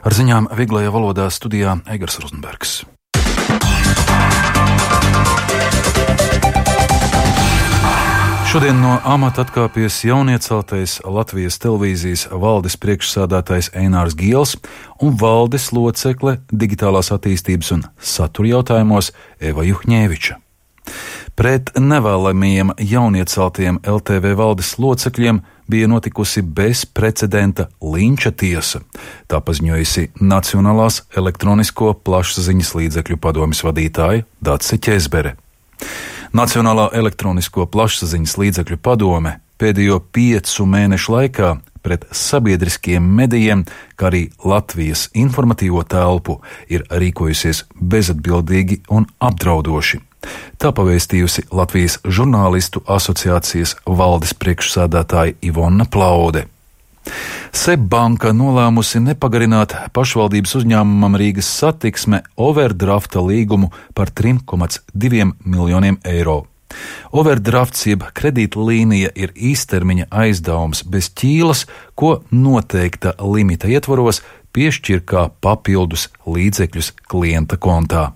Ar ziņām vieglajā valodā studijā Eigars Rozenbergs. Šodien no amata atkāpies jaunieceltais Latvijas televīzijas valdes priekšsādātājs Einārs Giels un valdes locekle digitālās attīstības un satura jautājumos Eva Juhņēviča. Pret nevēlamajiem jaunieceltiem LTV valdes locekļiem bija notikusi bezprecedenta linča tiesa, tā paziņojusi Nacionālās elektronisko plašsaziņas līdzekļu padomes vadītāja Dace Ķezbere. Nacionālā elektronisko plašsaziņas līdzekļu padome pēdējo 5 mēnešu laikā pret sabiedriskiem medijiem, kā arī Latvijas informatīvo telpu, ir rīkojusies bezatbildīgi un apdraudoši. Tā pavēstījusi Latvijas žurnālistu asociācijas valdes priekšsādātāja Ivona Plaude. SEB banka nolēmusi nepagarināt pašvaldības uzņēmumam Rīgas Satiksme overdrafta līgumu par 3,2 miljoniem eiro. Overdrafts jeb kredītlīnija ir īstermiņa aizdevums bez ķīlas, ko noteikta limita ietvaros piešķir kā papildus līdzekļus klienta kontā.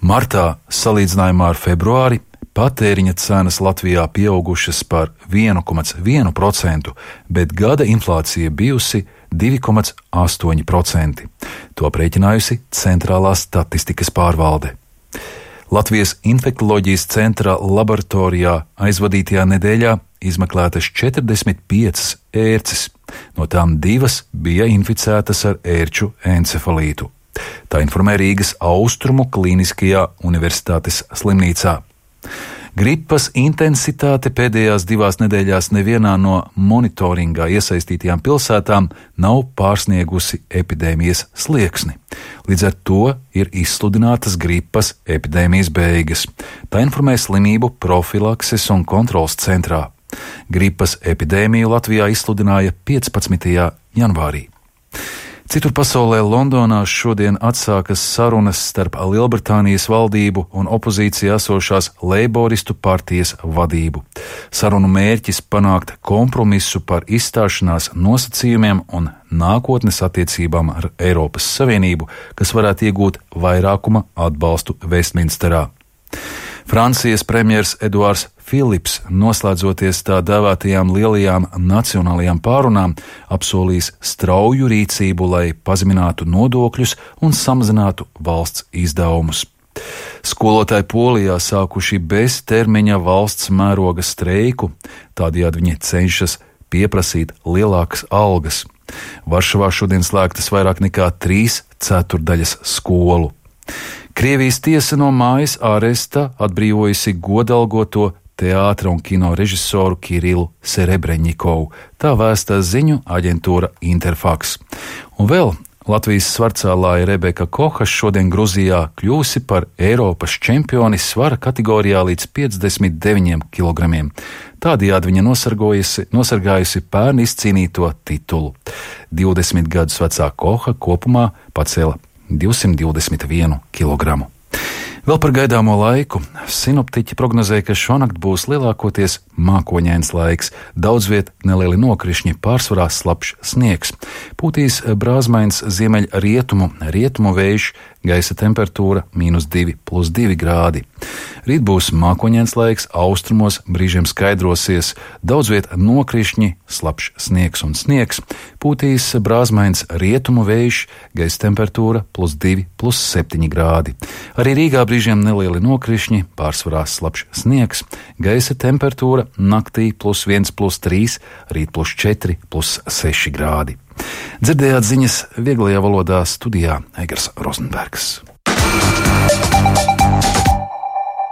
Martā, salīdzinājumā ar februāri, patēriņa cenas Latvijā pieaugušas par 1,1%, bet gada inflācija bijusi 2,8%. To aprēķinājusi Centrālā statistikas pārvalde. Latvijas infektoloģijas centra laboratorijā aizvadītajā nedēļā izmeklētas 45 ērces, no tām 2 bija inficētas ar ērču encefalītu. Tā informē Rīgas Austrumu Kliniskajā universitātes slimnīcā. Gripas intensitāte pēdējās 2 nedēļās nevienā no monitoringā iesaistītajām pilsētām nav pārsniegusi epidēmijas slieksni. Līdz ar to ir izsludinātas gripas epidēmijas beigas. Tā informē Slimību profilakses un kontroles centrā. Gripas epidēmiju Latvijā izsludināja 15. janvārī. Citur pasaulē Londonā šodien atsākas sarunas starp Lielbritānijas valdību un opozīcijā esošās Leiboristu partijas vadību. Sarunu mērķis panākt kompromisu par izstāšanās nosacījumiem un nākotnes attiecībām ar Eiropas Savienību, kas varētu iegūt vairākuma atbalstu Vestminsterā. Francijas premjers Eduards Filips, noslēdzoties tā dēvētajām lielajām nacionālajām pārunām, apsolīs strauju rīcību, lai pazeminātu nodokļus un samazinātu valsts izdevumus. Skolotāji Polijā sākuši beztermiņa valsts mēroga streiku, tādējādi viņi cenšas pieprasīt lielākas algas. Varšavā šodien slēgtas vairāk nekā 3/4 skolu. Krievijas tiesa no mājas āresta atbrīvojusi godalgoto teātra un kino režisoru Kirilu Serebreņikovu, tā vēsta ziņu aģentūra Interfax. Un vēl Latvijas svarcēlāja Rebeka Koha šodien Gruzijā kļūsi par Eiropas čempioni svara kategorijā līdz 59 kg. Tādējādi viņa nosargājusi pērn izcīnīto titulu. 20 gadus vecā Koha kopumā pacēla 221 kg. Vēl par gaidāmo laiku. Sinoptiķi prognozēja, ka šonakt būs lielākoties mākoņains laiks, daudz viet nelieli nokrišņi, pārsvarā slapjš sniegs. Pūtīs brāzmains ziemeļrietumu vējš, gaisa temperatūra -2 + 2 grādi. Rīt būs mākoņains laiks, austrumos brīžiem skaidrosies, daudz viet nokrišņi, slapjš sniegs un sniegs. Pūtīs brāzmains rietumu vējš, gaisa temperatūra +2 + 7 grādi. Arī Rīgā brīžiem nelieli nokrišņi, pārsvarā slapjš sniegs, gaisa temperatūra naktī +1 + 3, rīt +4 + 6 grādi. Dzirdējāt ziņas vieglajā valodā studijā Eigars Rozenbergs.